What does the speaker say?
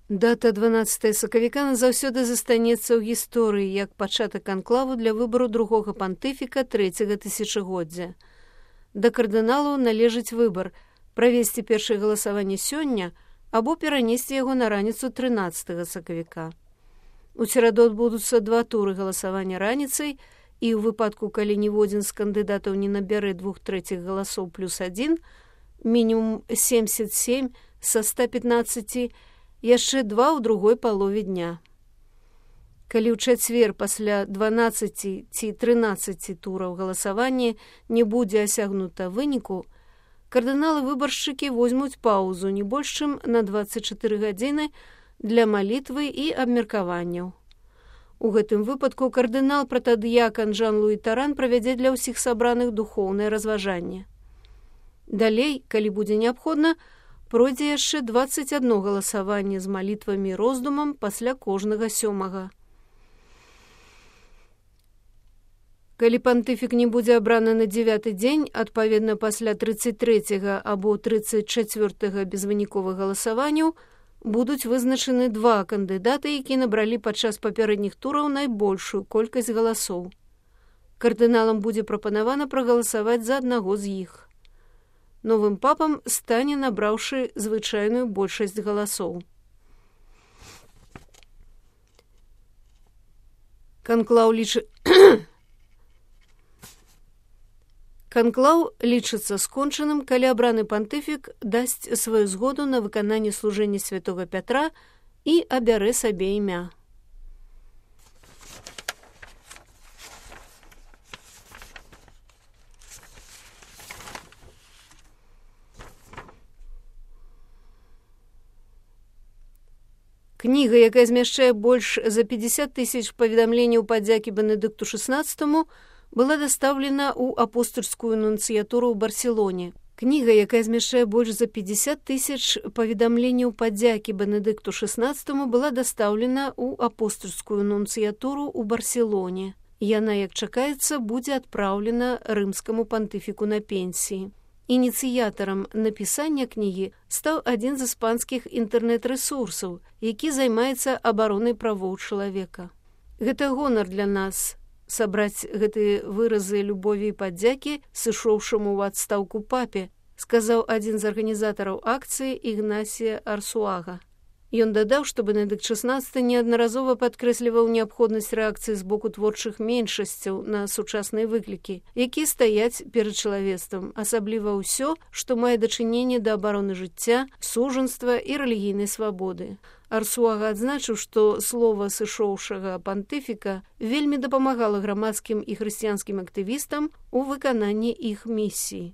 Дата 12 сакавіка назаўсёды застанецца ў гісторыі як пачатак канклаву для выбару другога пантыфіка трэцяга тысячагоддзя. Да кардыналаў належыць выбар правесці першае галасаванне сёння або перанесці яго на раніцу 13 сакавіка. У сераду адбудуцца 2 туры галасавання раніцай, і ў выпадку, калі ніводзін з кандыдатаў не набярэ 2/3 галасоў плюс 1, мінімум 77 са 115, яшчэ 2 ў другой палове дня. Калі ў чацвер пасля 12 ці 13 тураў галасавання не будзе асягнута выніку, кардыналы-выбаршчыкі возьмуць паўзу не больш чым на 24 гадзіны для малітвы і абмеркаванняў. У гэтым выпадку кардынал-пратадыякан Жан-Луі Таран правядзе для ўсіх сабраных духоўнае разважанне. Далей, калі будзе неабходна, пройдзе яшчэ 21 галасаванне з малітвамі і роздумам пасля кожнага 7. Калі пантыфік не будзе абраны на 9 дзень, адпаведна пасля 33 або 34 безвыніковых галасаванняў, будуць вызначаны 2 кандыдаты, якія набралі падчас папярэдніх тураў найбольшую колькасць галасоў. Кардыналам будзе прапанавана прагаласаваць за аднаго з іх. Новым папам стане набраўшы звычайную большасць галасоў. Канклаў лічыцца скончаным, калі абраны пантыфік дасць сваю згоду на выкананне служэння святога Пятра і абярэ сабе імя. Кніга, якая змяшчае больш за 50 000 паведамленняў падзякі Бенедыкту XVI, была дастаўлена ў апостольскую нунцыятуру ў Барселоне. Кніга, якая змяшчае больш за 50 000 паведамленняў падзякі Бенедыкту XVI, была дастаўлена ў апостольскую нунцыятуру ў Барселоне. Яна, як чакаецца, будзе адпраўлена рымскаму пантыфіку на пенсіі. Ініцыятарам напісання кнігі стаў адзін з іспанскіх інтэрнэт-рэсурсаў, які займаецца абаронай правоў чалавека. Гэта гонар для нас сабраць гэтыя выразы любові і падзякі сышоўшаму ў адстаўку папе, сказаў адзін з арганізатараў акцыі Ігнасія Арсуага. Ён дадаў, што Бенедыкт XVI неаднаразова падкрэсліваў неабходнасць рэакцыі з боку творчых меншасцяў на сучасныя выклікі, якія стаяць перад чалавецтвам, асабліва ўсё, што мае дачыненне да абароны жыцця, сужанства і рэлігійнай свабоды. Арсуага адзначыў, што слова сышоўшага пантыфіка вельмі дапамагала грамадскім і хрысціянскім актывістам у выкананні іх місіі.